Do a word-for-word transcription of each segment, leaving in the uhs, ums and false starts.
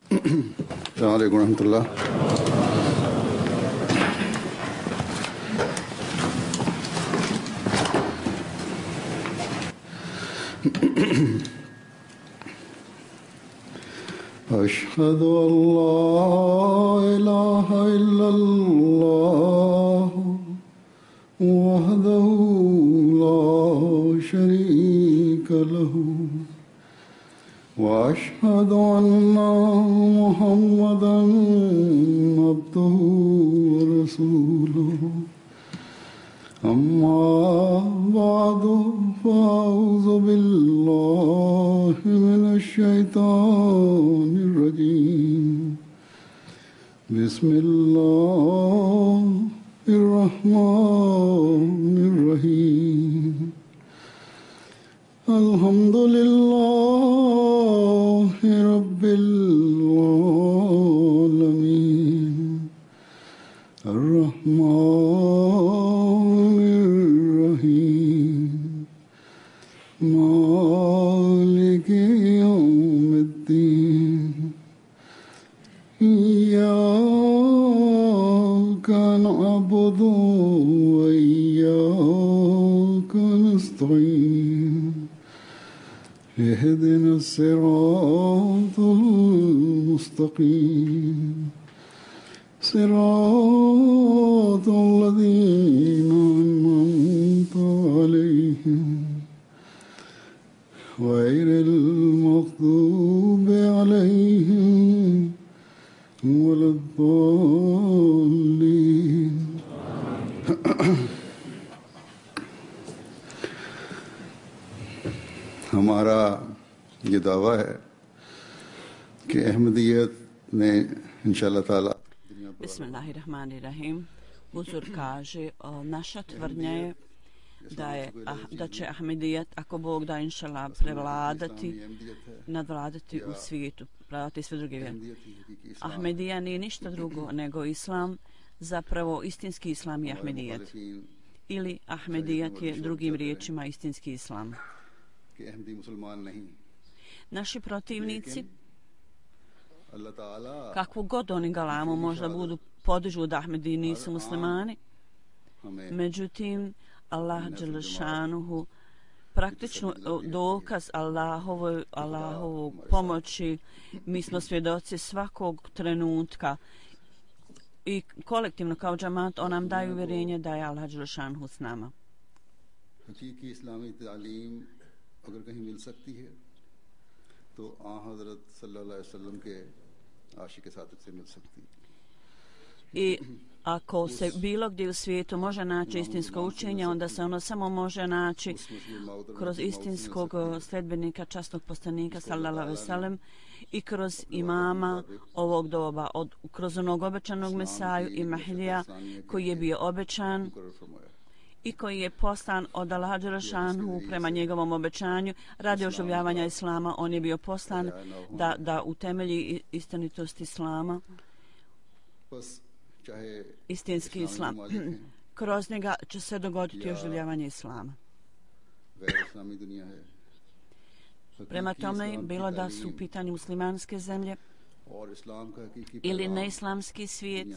अस्सलामु अलैकुम रहमतुल्लाह। أشهد أن لا إله إلا الله وحده لا شريك له وأشهد أن محمدا عبده ورسوله أما بعد فأعوذ بالله من الشيطان الرجيم بسم الله الرحمن الرحيم الحمد لله رب العالمين الرحمن الرحيم مالك يوم الدين إياك نعبد وإياك نستعين اهدنا الصراط المستقيم صراط الذين أنعمت عليهم غير المغضوب عليهم ولا الضالين हमारा ये दावा है कि अहमदियत ने इंशाअल्लाह ताला Bismillahirrahmanirrahim. Uzur kaže, o, naša tvrdnja je da, je ah, da će Ahmedijet, ako Bog da inšala, prevladati, nadvladati u svijetu, prevladati sve druge vjere. Ahmedija nije ništa drugo nego islam, zapravo istinski islam je Ahmedijet. Ili Ahmedijet je drugim riječima istinski islam. Naši protivnici, kakvu god oni galamu možda budu podižu da Ahmedi nisu muslimani, međutim Allah dželešanuhu praktično dokaz Allahovoj, Allahovog pomoći, mi smo svjedoci svakog trenutka i kolektivno kao džamat on nam daje uvjerenje da je Allah dželešanuhu s nama. हकीकी इस्लामी तालीम अगर कहीं मिल सकती है तो आ हजरत सल्लल्लाहु अलैहि वसल्लम के आशिक सादिक से मिल सकती है. I ako se bilo gdje u svijetu može naći istinsko učenje, onda se ono samo može naći kroz istinskog sledbenika, časnog poslanika sallallahu alejhi ve sellem i kroz imama ovog doba, od, kroz onog obećanog Mesaju i Mahdija koji je bio obećan i koji je poslan od Allaha dželešanuhu prema njegovom obećanju radi oživljavanja islama. On je bio poslan da, da utemelji istinitost islama, istinski islam. Kroz njega će se dogoditi oživljavanje islama. Prema tome, bilo da su u pitanju muslimanske zemlje ili neislamski svijet,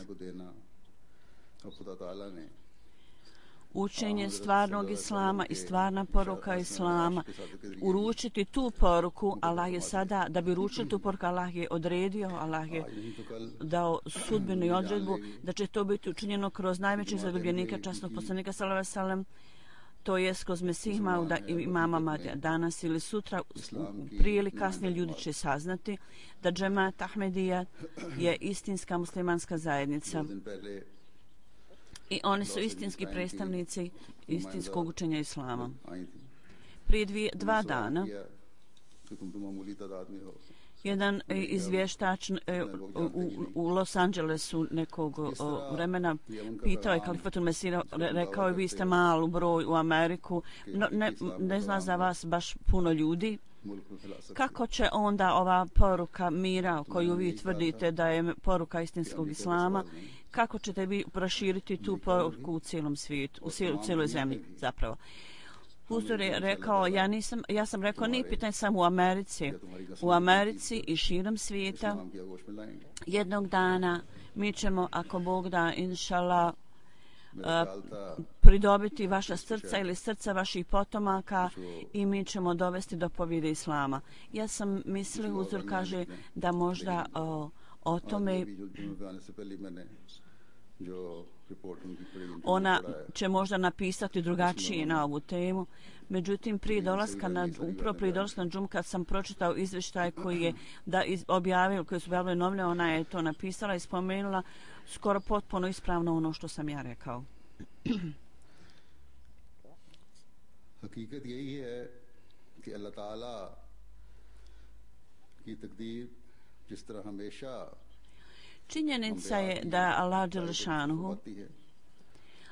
učenje stvarnog islama i stvarna poruka islama, uručiti tu poruku, Allah je sada, da bi uručili tu poruku, Allah je odredio, Allah je dao sudbenu i odredbu da će to biti učinjeno kroz najvećeg zadobljenika, časnog poslanika sallallahu alejhi ve sellem, to je kroz Mesih Mauda i imama Madija. Danas ili sutra, prije ili kasnije, ljudi će saznati da džemat Ahmedija je istinska muslimanska zajednica. I oni su istinski predstavnici istinskog učenja islama. Prije dvije, dva dana jedan izvještač u, u, u Los Angelesu nekog o, vremena pitao je Kalifatul Mesira, rekao je vi ste malu broj u Ameriku, no, ne, ne zna za vas baš puno ljudi. Kako će onda ova poruka mira koju vi tvrdite da je poruka istinskog islama, kako ćete vi proširiti tu poruku u cijelom svijetu, u cijeloj zemlji zapravo? Huzur je rekao, ja, nisam, ja sam rekao, nije pitanje samo u Americi. U Americi i širom svijeta jednog dana mi ćemo, ako Bog da, inšala, uh, pridobiti vaša srca ili srca vaših potomaka i mi ćemo dovesti do pobjede Islama. Ja sam mislio, Huzur kaže, da možda uh, o tome ona će možda napisati drugačije na ovu temu. Međutim, prije dolaska na, upravo prije dolaska na džum, kad sam pročitao izvještaj koji je da iz, objavio, koji su objavili novine, ona je to napisala i spomenula skoro potpuno ispravno ono što sam ja rekao. हकीकत यही है कि अल्लाह ताला की तकदीर जिस तरह हमेशा Činjenica je da je Allah dželešanuhu,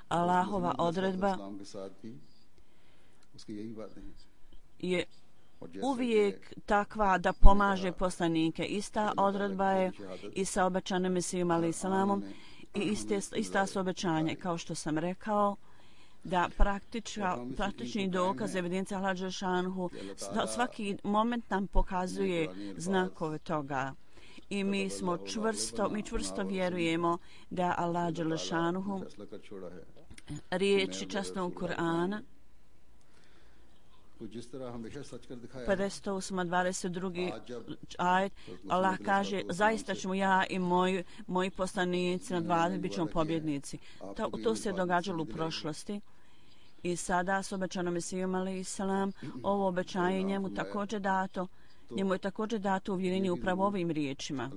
Allahova odredba je uvijek takva da pomaže poslanike. Ista odredba je i sa obećanim Mesijom alaih salamom i iste, ista su obećanje, kao što sam rekao, da praktični dokaz evidencija Allah dželešanuhu svaki moment nam pokazuje znakove toga. I mi smo čvrsto, mi čvrsto vjerujemo da Allah dželešanuhu riječi časnog Kur'ana pedeset osam dvadeset drugi ajet, Allah kaže, zaista ćemo ja i moji, moji poslanici na dvadeset bit ćemo pobjednici. To, to se događalo u prošlosti. I sada s obećanom Mesijom alaih salam, ovo obećanje njemu također dato. Njemu je također dato uvjerenje upravo ovim riječima,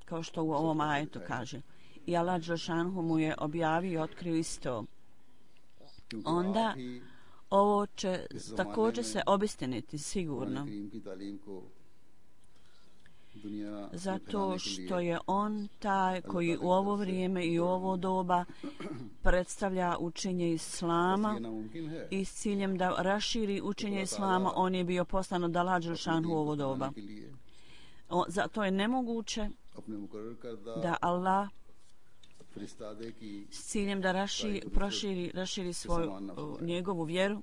kao što u ovom ajetu kaže. I Allah dželešanuhu mu je objavio i otkrio isto. Onda ovo će također se obistiniti sigurno. Zato što je on taj koji u ovo vrijeme i u ovo doba predstavlja učenje Islama i s ciljem da raširi učenje Islama, on je bio poslan od Allah dželešanuhu u ovo doba. O, zato je nemoguće da Allah s ciljem da raširi, proširi, raširi svoju njegovu vjeru,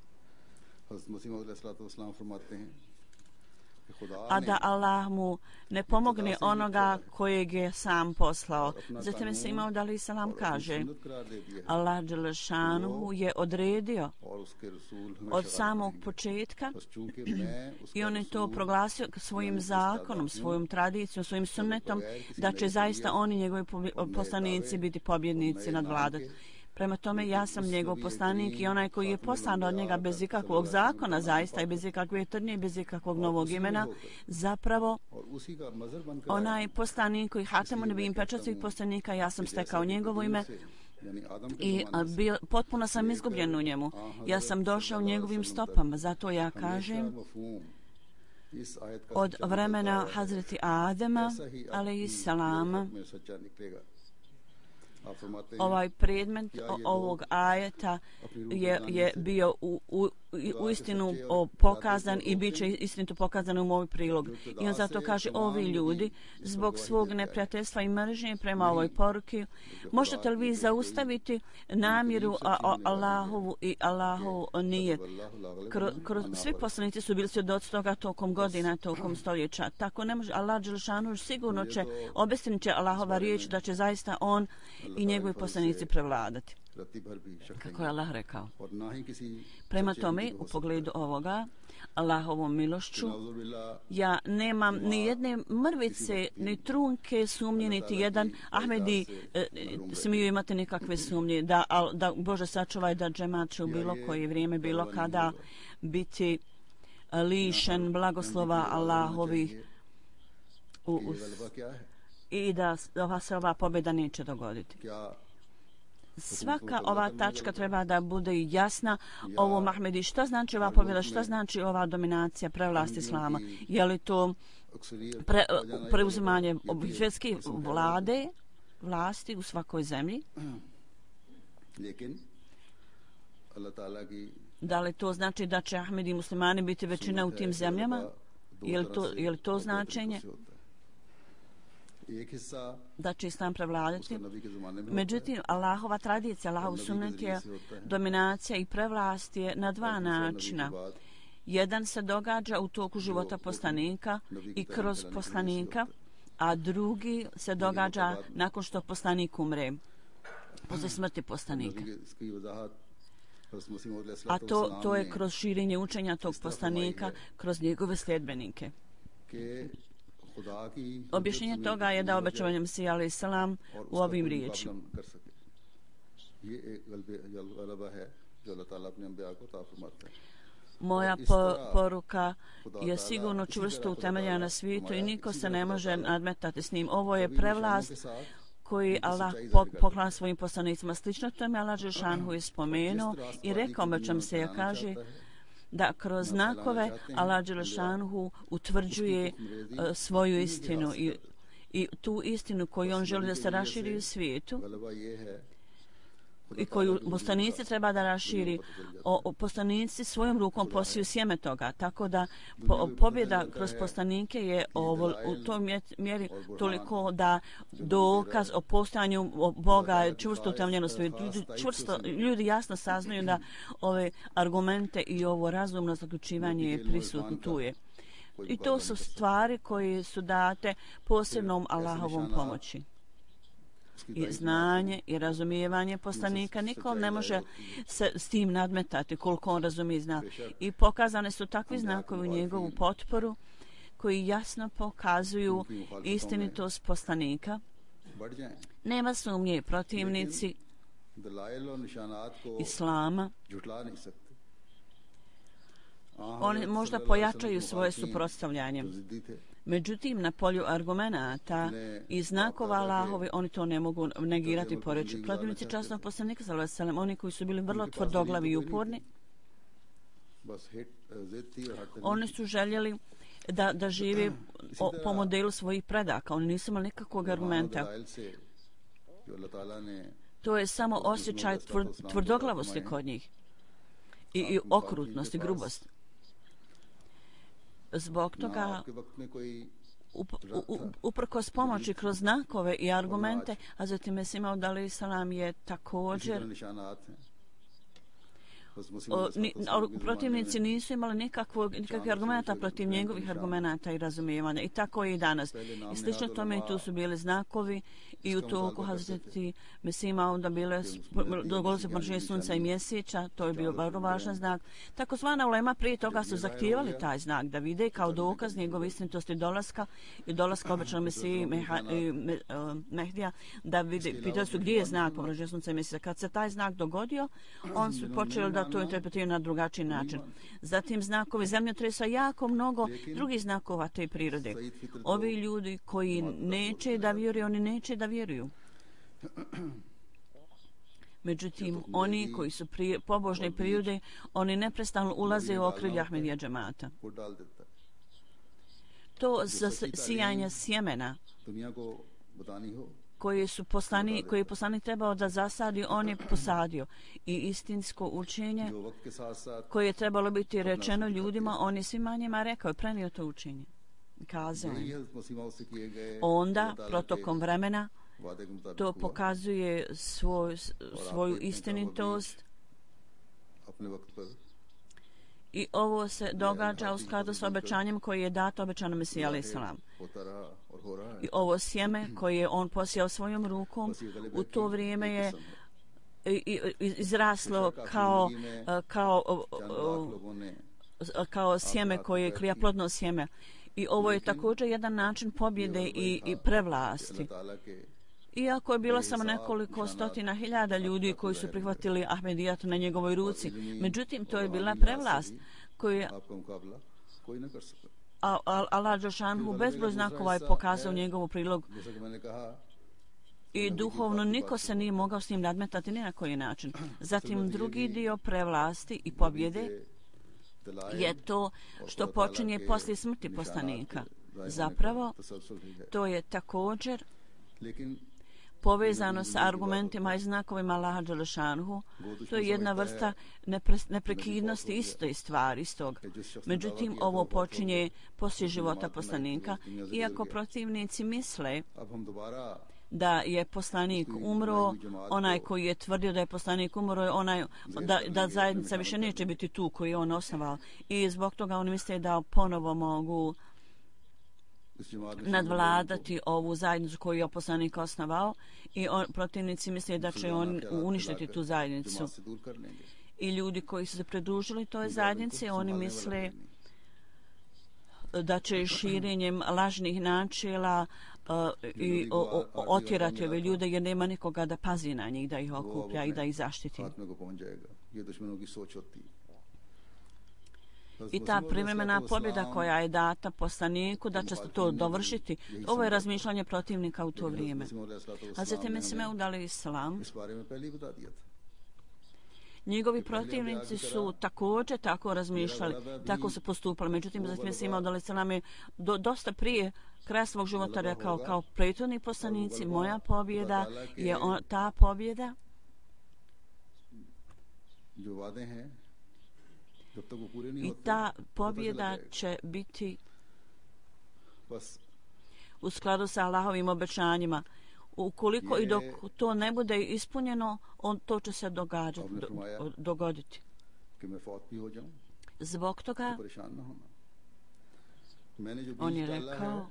a da Allah mu ne pomogne onoga kojeg je sam poslao. Zatim se imao da li salam kaže, Allah dželešanuhu je odredio od samog početka i on je to proglasio svojim zakonom, svojom tradicijom, svojim sunnetom, da će zaista oni njegovi poslanici biti pobjednici nad vladat. Prema tome, ja sam njegov poslanik i onaj koji je poslan od njega bez ikakvog zakona, zaista i bez ikakve tvrdnje, bez ikakvog novog imena, zapravo onaj poslanik koji Hatemu nebijim pečat svih poslanika, ja sam stekao njegovo ime i bio, potpuno sam izgubljen u njemu. Ja sam došao njegovim stopama, zato ja kažem od vremena Hazreti Adema, alejhissalama, ovaj predmet ovog ajeta je, je bio u, u, u istinu pokazan i bit će istinito pokazan u moj prilog. I on zato kaže, ovi ljudi zbog svog neprijateljstva i mržnje prema ovoj poruki, možete li vi zaustaviti namjeru Allahovu i Allahovu nije. Kroz, kroz, svi poslanici su bili svjedoci toga tokom godina, tokom stoljeća. Tako ne može, Allah dželešanuhu sigurno će obistinit će Allahova riječ da će zaista on i njegovi poslanici prevladati. Kako je Allah rekao. Prema tome, u pogledu ovoga, Allahovom milošću, ja nemam ni jedne mrvice, ni trunke sumnje, niti jedan Ahmedi e, smiju imati nekakve sumnje da, da Bože sačuvaj da džemat će u bilo koje vrijeme, bilo kada biti lišen blagoslova Allahovih u, u, i da ova se ova pobjeda neće dogoditi. Svaka ova tačka treba da bude jasna ovo Mahmedi. Šta znači ova pobjeda? Šta znači ova dominacija, prevlast Islama? Je li to pre, preuzimanje svjetske vlade, vlasti u svakoj zemlji? Da li to znači da će Ahmedi i muslimani biti većina u tim zemljama? Je li to, je li to značenje? da će islam prevladati. Međutim, Allahova tradicija, Allahov sunnet je dominacija i prevlast je na dva načina. Jedan se događa u toku života poslanika i kroz poslanika, a drugi se događa nakon što poslanik umre, posle smrti poslanika. A to, to je kroz širenje učenja tog poslanika, kroz njegove sljedbenike. Objašnjenje toga je da obećavanje Mesija alejhi selam u ovim riječima. Moja po, poruka je sigurno čvrsto utemeljena na svijetu i niko se ne može nadmetati s njim. Ovo je prevlast koji Allah poklanja svojim poslanicima. Slično tome Allah Đelešanu je spomenuo i rekao obećam se, ja kaže da kroz znakove Allah Đelešanu utvrđuje uh, svoju istinu i, i tu istinu koju on želi da se raširi u svijetu i koju poslanici treba da raširi. O, o poslanici svojom rukom posiju sjeme toga, tako da po, pobjeda kroz poslanike je ovo, u toj mjeri toliko da dokaz o postojanju Boga je čvrsto utemeljeno svijetu. Ljudi, čvrsto, ljudi jasno saznaju da ove argumente i ovo razumno zaključivanje je prisutno tu je. I to su stvari koje su date posebnom Allahovom pomoći. I znanje i razumijevanje poslanika, nikom ne može se s tim nadmetati koliko on razumije i zna. I pokazane su takvi znakovi u njegovu potporu koji jasno pokazuju istinitost poslanika. Nema sumnje, protivnici islama oni možda pojačaju svoje suprotstavljanje. Međutim, na polju argumenata i znakova Allahovi, oni to ne mogu negirati poreći. Protivnici časnog poslanika, sallallahu alejhi ve sellem, oni koji su bili vrlo tvrdoglavi i uporni, oni su željeli da, da žive o, po modelu svojih predaka. Oni nisu imali nikakvog argumenta. To je samo osjećaj tvr, tvrdoglavosti kod njih i, i okrutnosti, grubosti. Zbog toga up, up, uprkos pomoći kroz znakove i argumente, a zatim Mesih Maud alejhi selam je također o, ni, o, protivnici nisu imali nikakvog, nikakvih argumenta protiv njegovih argumenata i razumijevanja. I tako je i danas. I slično tome i tu su bili znakovi i u toku Hazreti Mesih Mauda bile dogodilo se pomračenje sunca i mjeseca, to je bio vrlo važan znak. Takozvana ulema prije toga su zahtijevali taj znak da vide kao dokaz njegove istinitosti dolaska i dolaska obećanog Mesiji Meha, me, uh, Mehdija, da vide, pitali su gdje je znak pomračenja sunca i mjeseca. Kad se taj znak dogodio, on su počeli da to interpretiraju na drugačiji način. Zatim znakovi zemljotresa, jako mnogo drugih znakova te prirode. Ovi ljudi koji neće da vjeruju, oni neće da vjeruju. Međutim, oni koji su prije, pobožne prirode, oni neprestano ulaze u okrilje Ahmedija džemata. To za sijanje sjemena koje su poslani, koje je poslanik trebao da zasadi, on je posadio. I istinsko učenje koje je trebalo biti rečeno ljudima, on je svima njima rekao, prenio to učenje. Kazao je. Onda, protokom vremena, to pokazuje svoj, svoju istinitost i ovo se događa u skladu s obećanjem koje je dato obećano Mesiji alejhi selam. I ovo sjeme koje je on posijao svojom rukom, u to vrijeme je izraslo kao, kao, kao sjeme koje je klijaplodno sjeme. I ovo je također jedan način pobjede i, i prevlasti. Iako je bilo samo nekoliko stotina hiljada ljudi koji su prihvatili Ahmedijat na njegovoj ruci, međutim to je bila prevlast koju je Allah Đelešanu bezbroj znakova je pokazao njegovu prilog i duhovno niko se nije mogao s njim nadmetati ni na koji način. Zatim drugi dio prevlasti i pobjede je to što počinje poslije smrti poslanika. Zapravo, to je također povezano sa argumentima i znakovima Allaha Đelešanuhu. To je jedna vrsta nepre, neprekidnosti iste stvari, istog. Međutim, ovo počinje poslije života poslanika, iako protivnici misle da je poslanik umro, onaj koji je tvrdio da je poslanik umro je onaj da, da zajednica više neće biti tu koju je on osnovao. I zbog toga oni misle da ponovo mogu nadvladati ovu zajednicu koju je poslanik osnovao i on, protivnici misle da će on uništiti tu zajednicu. I ljudi koji su se pridružili toj zajednici, oni misle da će širenjem lažnih načela uh, i o, o, otjerati ove ljude jer nema nikoga da pazi na njih, da ih okuplja i da ih zaštiti. I ta privremena pobjeda koja je data poslaniku da će se to dovršiti, ovo je razmišljanje protivnika u to vrijeme. Hazreti Mesih Maud alejselam, njegovi protivnici su također tako razmišljali, tako su postupali. Međutim, Hazreti Mesih Maud alejselam je do, dosta prije kraja svog života rekao kao prethodni poslanici, moja pobjeda je on, ta pobjeda i ta pobjeda će biti u skladu sa Allahovim obećanjima. Ukoliko i dok to ne bude ispunjeno, on, to će se događati, do, dogoditi. Zbog toga on je rekao,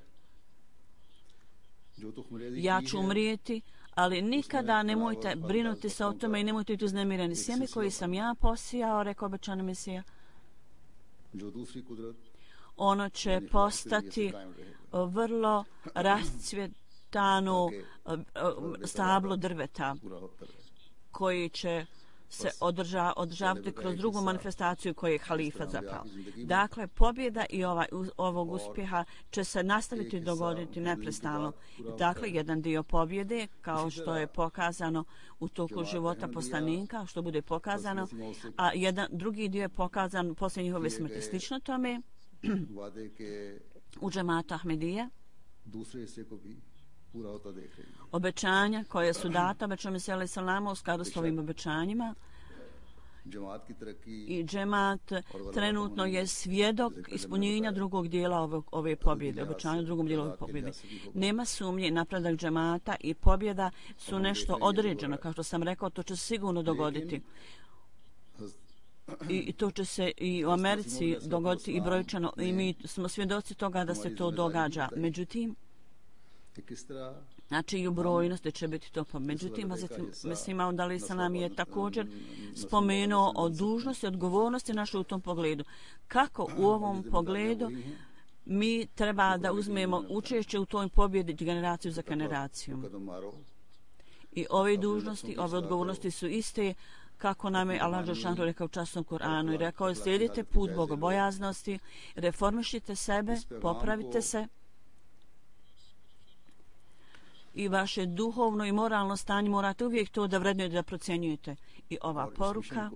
ja ću umrijeti, ali nikada nemojte brinuti se o tome i nemojte biti uznemireni. Sjeme koji sam ja posijao, rekao obećani Mesija, ono će postati vrlo rascvjetano stablo drveta koji će se održa, održavati kroz drugu manifestaciju koju je halifa zapao. Dakle, pobjeda i ovaj, ovog uspjeha će se nastaviti dogoditi neprestano. Dakle, jedan dio pobjede, kao što je pokazano u toku života poslanika, što bude pokazano, a jedan drugi dio je pokazan poslije njihove smrti. Slično tome, u džematu Ahmedija, obećanja koje su data obećao Mesija alejselama u skladu s ovim obećanjima i džemat trenutno je svjedok ispunjenja drugog dijela ove, ove pobjede, obećanja drugom dijelu ove pobjede. Nema sumnje, napredak džemata i pobjeda su nešto određeno, kao što sam rekao, to će se sigurno dogoditi. I to će se i u Americi dogoditi i brojčano i mi smo svjedoci toga da se to događa. Međutim, znači i u brojnosti će biti to. Međutim, Mesih Maud alejselam je također spomenuo o dužnosti i odgovornosti našoj u tom pogledu. Kako u ovom pogledu mi treba da uzmemo učešće u toj pobjedi generaciju za generacijom. I ove dužnosti, ove odgovornosti su iste kako nam je Allah Đelešanu rekao u časnom Kur'anu i rekao, slijedite put bogobojaznosti, reformišite sebe, popravite se i vaše duhovno i moralno stanje morate uvijek to da vrednujete, da procjenjujete. I ova poruka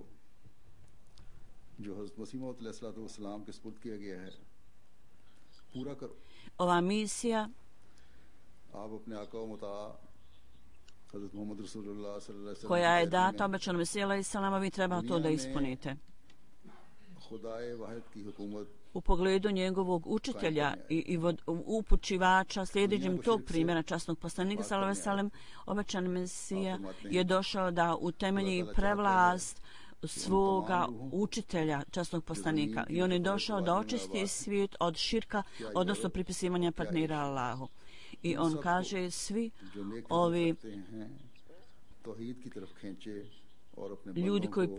ova misija koja je data obećanom Mesiju alejselama, vi treba to da ispunite. U pogledu njegovog učitelja i, i vod, upućivača, sljedećem tog primjera časnog poslanika sallallahu alejhi ve sellem, obećani Mesija je došao da utemelji prevlast svoga učitelja časnog poslanika i on je došao da očisti svijet od širka, odnosno pripisivanja partnera Allahu. I on kaže, svi ovi ljudi koji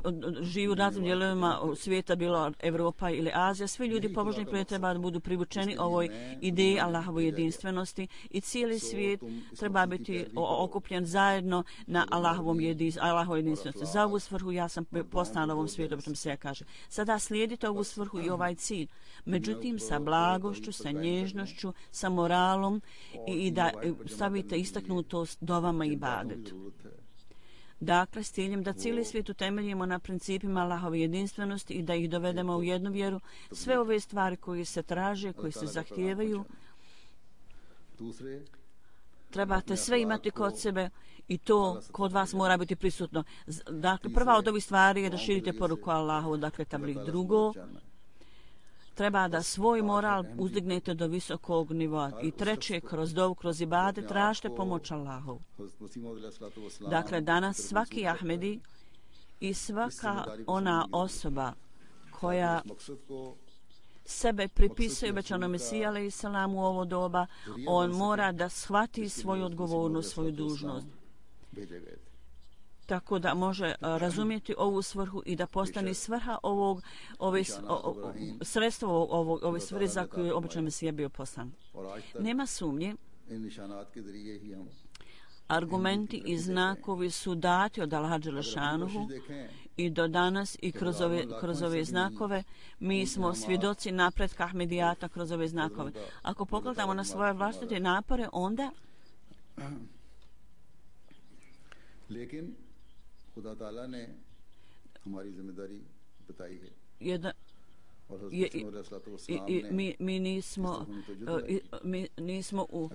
žive u raznim dijelovima svijeta, bilo Evropa ili Azija, svi ljudi pobožni koji treba da budu privučeni ovoj ideji Allahovoj jedinstvenosti i cijeli svijet treba biti okupljen zajedno na Allahovom Allahovoj jedinstvenosti. Za ovu svrhu ja sam postala na ovom svijetu, što se kaže. Sada slijedite ovu svrhu i ovaj cilj. Međutim, sa blagošću, sa nježnošću, sa moralom i, i da stavite istaknutost dovama i ibadetu. Dakle, s ciljem da cijeli svijet utemeljimo na principima Allahove jedinstvenosti i da ih dovedemo u jednu vjeru, sve ove stvari koje se traže, koje se zahtijevaju, trebate sve imati kod sebe i to kod vas mora biti prisutno. Dakle, prva od ovih stvari je da širite poruku Allahu, dakle tablik. Drugo, treba da svoj moral uzdignete do visokog nivoa. I treće, kroz dovu, kroz ibadet, tražite pomoć Allahu. Dakle, danas svaki Ahmedi i svaka ona osoba koja sebe pripisuje obećanom Mesiji alejhi selam u ovo doba, on mora da shvati svoju odgovornost, svoju dužnost. Tako da može razumjeti ovu svrhu i da postane svrha ovog, ove, o, o, sredstvo ovog, ove svrhe za koju je obećan Mesija bio poslan. Nema sumnje, argumenti i znakovi su dati od Allaha dželešanuhu i do danas i kroz ove, kroz ove znakove mi smo svjedoci napretka Ahmedijata kroz ove znakove. Ako pogledamo na svoje vlastite napore, onda jedna Je, i, i, mi, mi nismo mi nismo u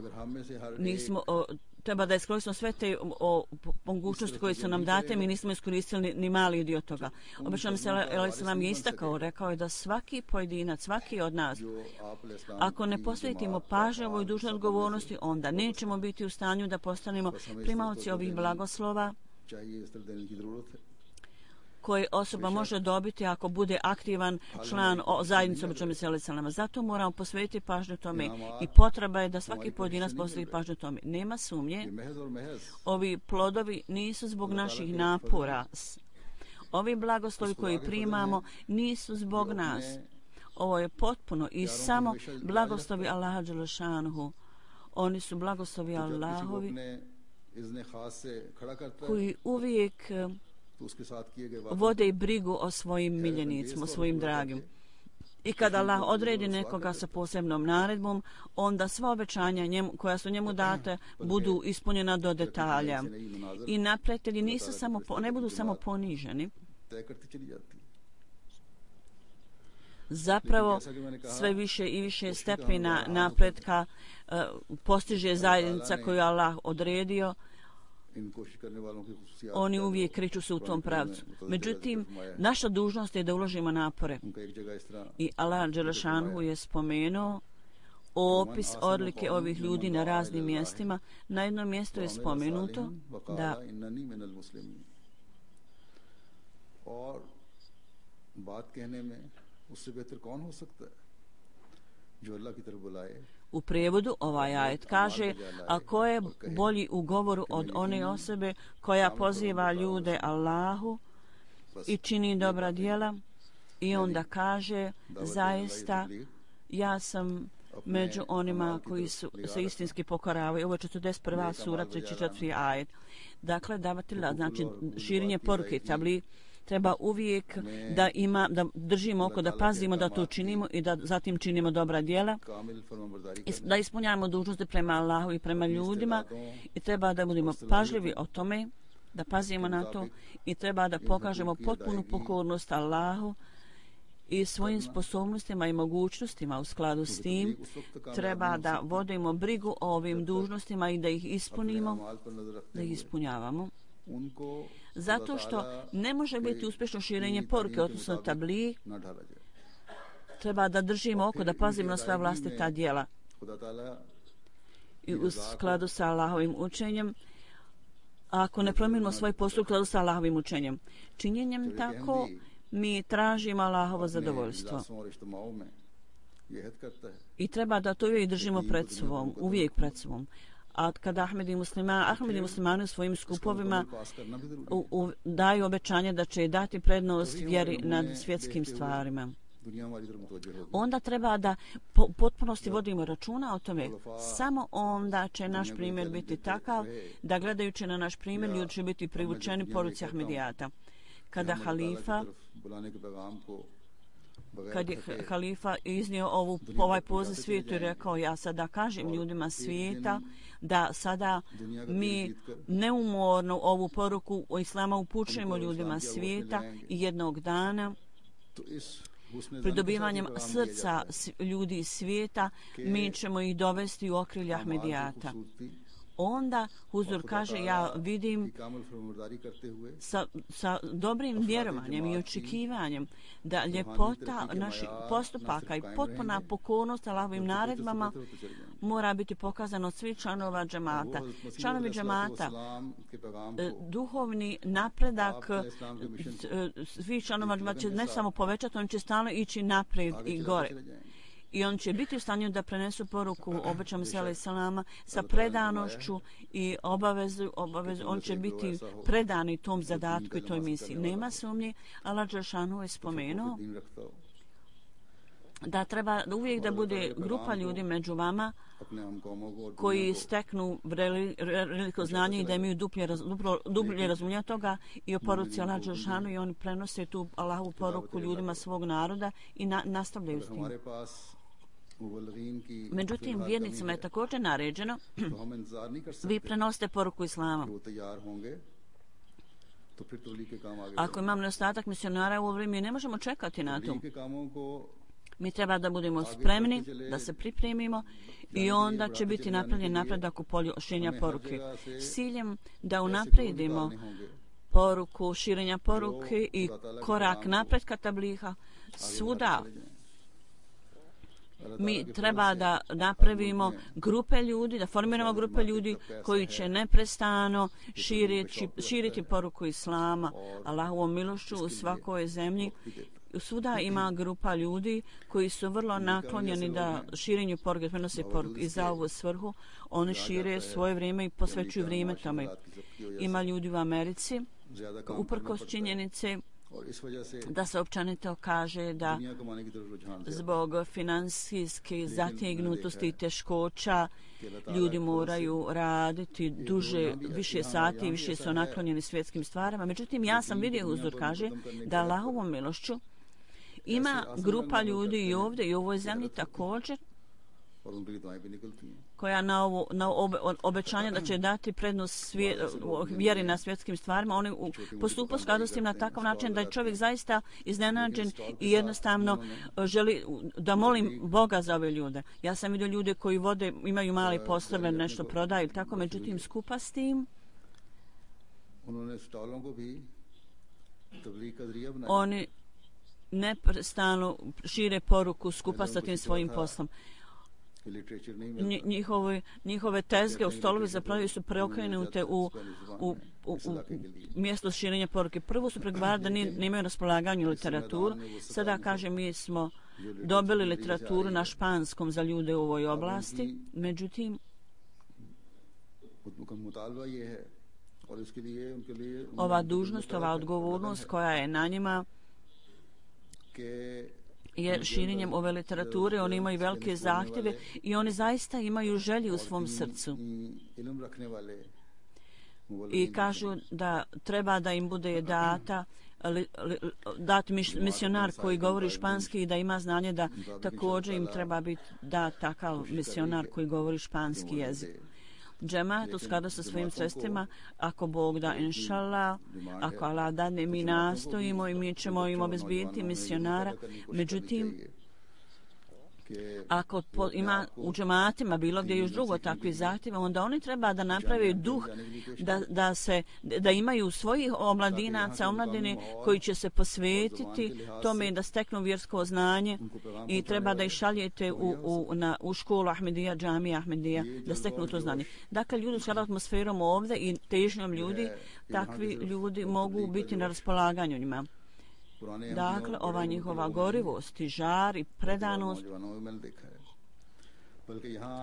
nismo o, treba da iskoristimo sve te o, mogućnosti koje su nam date, mi nismo iskoristili ni, ni mali dio toga. Obećan se alejhi selam je istakao, rekao je da svaki pojedinac, svaki od nas, ako ne posvetimo pažnju ovoj dužnoj odgovornosti, onda nećemo biti u stanju da postanemo primaoci ovih blagoslova koje osoba može dobiti ako bude aktivan član zajednice obećanog Mesija alejhi selam. Zato moramo posvetiti pažnju tome i potreba je da svaki pojedinac posveti pažnju tome. Nema sumnje, ovi plodovi nisu zbog naših napora. Ovi blagoslovi koji primamo nisu zbog nas. Ovo je potpuno i samo blagoslovi Allaha dželešanuhu. Oni su blagoslovi Allahovi koji uvijek vode i brigu o svojim miljenicima, o svojim dragim. I kada Allah odredi nekoga sa posebnom naredbom, onda sva obećanja njemu, koja su njemu date budu ispunjena do detalja. I napreditelji nisu samo, ne budu samo poniženi. Zapravo sve više i više stepena napretka uh, postiže zajednica koju Allah odredio. Oni uvijek kreću se u tom pravcu. Međutim, naša dužnost je da uložimo napore. I Allah dželešanuhu je spomenuo opis odlike ovih ljudi na raznim mjestima. Na jednom mjestu je spomenuto da u prijevodu ovaj ajet kaže, a ko je bolji u govoru od one osobe koja poziva ljude Allahu i čini dobra djela, i onda kaže, zaista ja sam među onima koji su, se istinski pokoravaju. Ovo je četrdeset prva sura, treći četvrti ajet. Dakle, davatelj, znači širenje poruke tabli, treba uvijek da ima, da držimo oko, da pazimo da to činimo i da zatim činimo dobra djela, da ispunjavamo dužnosti prema Allahu i prema ljudima, i treba da budemo pažljivi o tome, da pazimo na to, i treba da pokažemo potpunu pokornost Allahu i svojim sposobnostima i mogućnostima. U skladu s tim treba da vodimo brigu o ovim dužnostima i da ih ispunimo, da ih ispunjavamo. Zato što ne može biti uspješno širenje poruke, odnosno tabli, treba da držimo oko, da pazimo na svoja vlastita djela. I u skladu sa Allahovim učenjem, ako ne promijenimo svoj postup u skladu sa Allahovim učenjem, činjenjem tako mi tražimo Allahovo zadovoljstvo. I treba da to uvijek držimo pred sobom, uvijek pred sobom. A kada Ahmedi muslimani, Ahmedi muslimani u svojim skupovima u, u, daju obećanje da će dati prednost vjeri nad svjetskim stvarima, onda treba da po, potpunosti vodimo računa o tome. Samo onda će naš primjer biti takav da gledajući na naš primjer ljudi će biti privučeni poruci Ahmedijata. Kada halifa kad je halifa iznio ovu, ovaj poziv svijetu i rekao, ja sada kažem ljudima svijeta da sada mi neumorno ovu poruku o islama upućujemo ljudima svijeta, i jednog dana pridobivanjem srca ljudi svijeta mi ćemo ih dovesti u okrilje Ahmedijata. onda Huzur kaže, ja vidim sa, sa dobrim vjerovanjem i očekivanjem da ljepota naših postupaka i potpuna pokornost Allahovim naredbama mora biti pokazana od svih članova džemata. Članovi džemata, duhovni napredak svih članova džemata će ne samo povećati, on će stalno ići naprijed i gore. I on će biti u stanju da prenesu poruku obećanom sela i salama sa predanošću i obavezu, obavezu. On će biti predani tom zadatku i toj misiji. Nema sumnje, Allah Đelešanu je spomenuo da treba uvijek da bude grupa ljudi među vama koji steknu veliko znanje i da imaju duplje, duplo, dublje razumljenje toga i o poruci Allah Đelešanu i oni prenose tu Allahovu poruku ljudima svog naroda i na, nastavljaju s tim. Međutim, vjernicima je također naređeno vi prenosite poruku Islama. Ako imam nedostatak misionara u ovo vrijeme, ne možemo čekati na to. Mi treba da budemo spremni, da se pripremimo i onda će biti napravljen napredak u polju širenja poruke. S ciljem da unapredimo poruku, širenja poruke i korak napretka tabliha svuda. Mi treba da napravimo grupe ljudi, da formiramo grupe ljudi koji će neprestano širiti, širiti poruku Islama, Allahovom milošću u svakoj zemlji. Svuda ima grupa ljudi koji su vrlo naklonjeni da širenju poruke, prenose poruku i za ovu svrhu oni šire svoje vrijeme i posvećuju vrijeme tome. Ima ljudi u Americi, uprkos činjenice da se općenito kaže da zbog finansijske zategnutosti i teškoća ljudi moraju raditi duže, više sati i više su naklonjeni svjetskim stvarima. Međutim, ja sam vidio, Huzur kaže, da Allahovom milošću ima grupa ljudi i ovdje i u ovoj zemlji također koja na, ovo, na obe, obećanje da će dati prednost svije, vjeri na svjetskim stvarima, oni postupaju skladu s tim na takav način da je čovjek zaista iznenađen i jednostavno želi da molim Boga za ove ljude. Ja sam vidio ljude koji vode, imaju mali poslove, nešto prodaju, tako, međutim skupa s tim oni neprestano šire poruku skupa sa tim svojim poslom. Njihove, njihove tezge u stolovi zapravo su preokrenute u, u, u, u mjesto širenja poruke. Prvo su pregovarali da nemaju raspolaganju literaturu. Sada kaže mi smo dobili literaturu na španskom za ljude u ovoj oblasti. Međutim, ova dužnost, ova odgovornost koja je na njima je širenjem ove literature, oni imaju velike zahtjeve i oni zaista imaju želju u svom srcu. I kažu da treba da im bude data li, li, dat misionar koji govori španski i da ima znanje da također im treba biti dat takav misionar koji govori španski jezik. Džemat u skladu sa svojim sredstvima, ako Bog da, inšallah, ako Allah dadne, mi nastojimo i mi ćemo im obezbijeti misionara. Međutim, ako po, ima u džematima bilo gdje još drugo takvi zahtjeva, onda oni treba da naprave duh da, da, se, da imaju svojih omladinaca, omladine koji će se posvetiti tome da steknu vjersko znanje i treba da ih šaljete u, u, na, u školu Ahmedija, džamija Ahmedija, da steknu to znanje. Dakle, ljudi s atmosferom ovdje i težnjom ljudi, takvi ljudi mogu biti na raspolaganju njima. Dakle, ova njihova gorivost i žar i predanost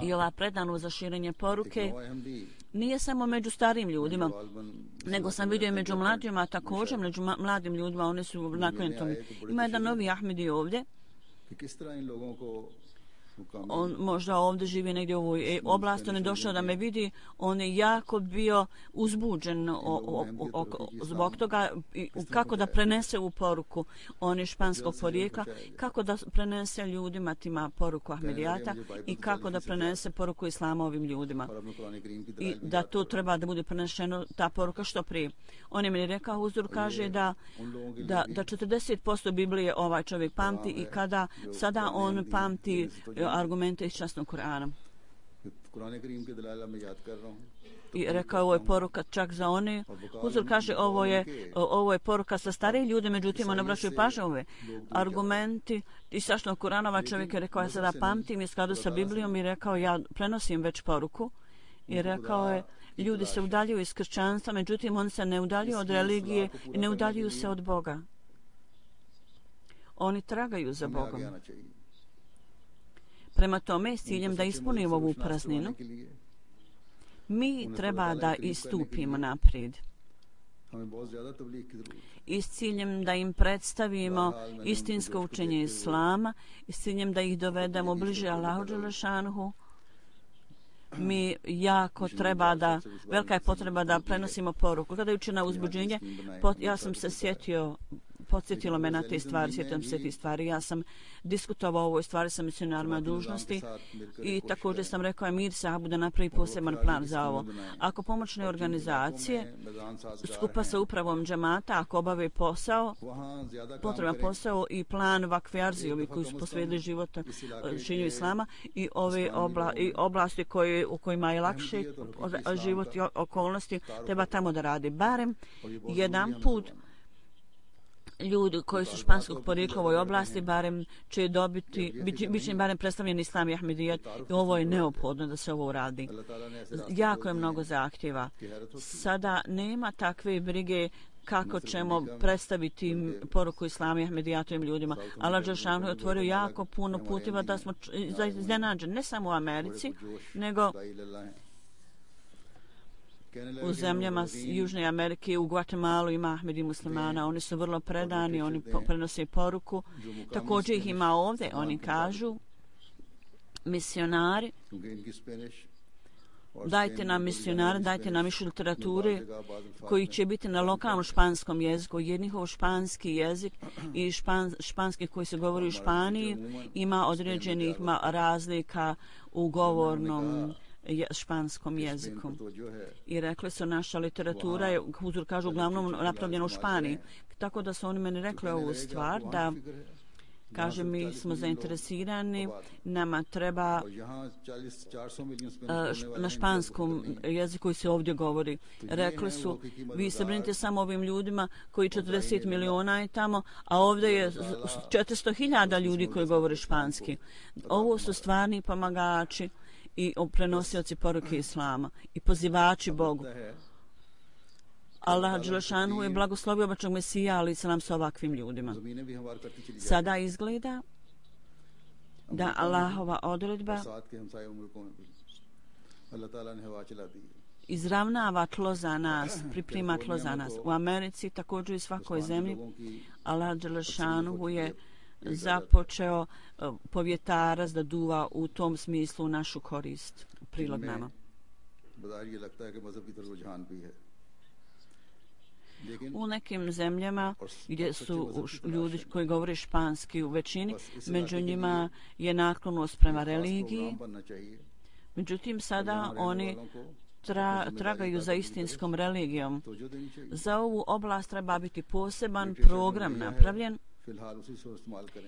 i ova predanost za širenje poruke nije samo među starim ljudima, nego sam vidio i među mladima, također među mladim ljudima, oni su naklonjeni tome. Ima jedan novi Ahmedi ovdje. On možda ovdje živi negdje u ovoj oblasti, on je došao da me vidi, on je jako bio uzbuđen o, o, o, o, zbog toga kako da prenese u poruku, on je španskog porijekla, kako da prenese ljudima tima poruku Ahmedijata i kako da prenese poruku Islama ovim ljudima. I da to treba da bude prenešeno, ta poruka što prije. On je meni rekao, Huzur kaže da, da, da četrdeset posto Biblije ovaj čovjek pamti i kada sada on pamti argumente iz časnog Kur'ana. I rekao, ovo je poruka čak za one. Huzur kaže, ovo je, ovo je poruka sa stariji ljude, međutim, on obraćaju pažnju ove argumenti. I sašto Kuranova čovjek je rekao, ja sada pamtim i skladu sa Biblijom i rekao, ja prenosim već poruku. I rekao je, ljudi se udaljuju iz kršćanstva, međutim, oni se ne udaljuju od religije i ne udaljuju se od Boga. Oni tragaju za Bogom. Prema tome, s ciljem da ispunimo ovu prazninu, mi treba da istupimo naprijed. I s ciljem da im predstavimo istinsko učenje Islama, i s ciljem da ih dovedemo bliže Allahu dželešanuhu, mi jako treba da, velika je potreba da prenosimo poruku. Gledajući na uzbuđenje, ja sam se sjetio, podsjetilo me na te stvari, sjećam se te stvari. Ja sam diskutovao o ovoj stvari sa misionarima dužnosti i također sam rekao Emir Sahabu da napravi poseban plan za ovo. Ako pomoćne organizacije skupa sa upravom džemata, ako obave posao, potreban posao i plan vakfijarzi, ovi koji su posvetili života šinju Islama i ove obla, i oblasti koje, u kojima je lakše život i okolnosti, treba tamo da radi barem jedan put. Ljudi koji su španskog porijekla u ovoj oblasti barem će dobiti, bit će im barem predstavljen Islam i Ahmedijet i ovo je neophodno da se ovo uradi. Jako je mnogo zahtjeva. Sada nema takve brige kako ćemo predstaviti poruku Islama i Ahmedijatovim ljudima. Allah dželešanu je otvorio jako puno putiva da smo iznenađeni, ne samo u Americi, nego u zemljama Južne Amerike, u Guatemala ima Ahmedi muslimana, oni su vrlo predani, oni prenose poruku. Također ih ima ovdje, oni kažu, misionari, dajte nam misionare, dajte nam više literature koji će biti na lokalnom španskom jeziku, jer njihov španski jezik i špan, španski koji se govori u Španiji ima određenih razlika u govornom španskom jeziku. I rekli su, naša literatura je, Huzur kažu, uglavnom napravljena u Španiji. Tako da su oni meni rekli ovu stvar, da kaže, mi smo zainteresirani, nama treba na španskom jeziku koji se ovdje govori. Rekli su, vi se brinite samo ovim ljudima koji četrdeset miliona je tamo, a ovdje je četiristo hiljada ljudi koji govore španski. Ovo su stvarni pomagači i prenosioci poruke Islama i pozivači Bogu. Allah dželešanu je blagoslovio obačnog Mesija, ali se nam sa ovakvim ljudima. Sada izgleda da Allahova odredba izravnava tlo za nas, priprema tlo za nas. U Americi, također i svakoj zemlji, Allah dželešanu je započeo povjetarac da duva u tom smislu u našu korist, prilog nama. U nekim zemljama gdje su ljudi koji govore španski u većini, među njima je naklonost prema religiji. Međutim, sada oni tra, tragaju za istinskom religijom. Za ovu oblast treba biti poseban program napravljen.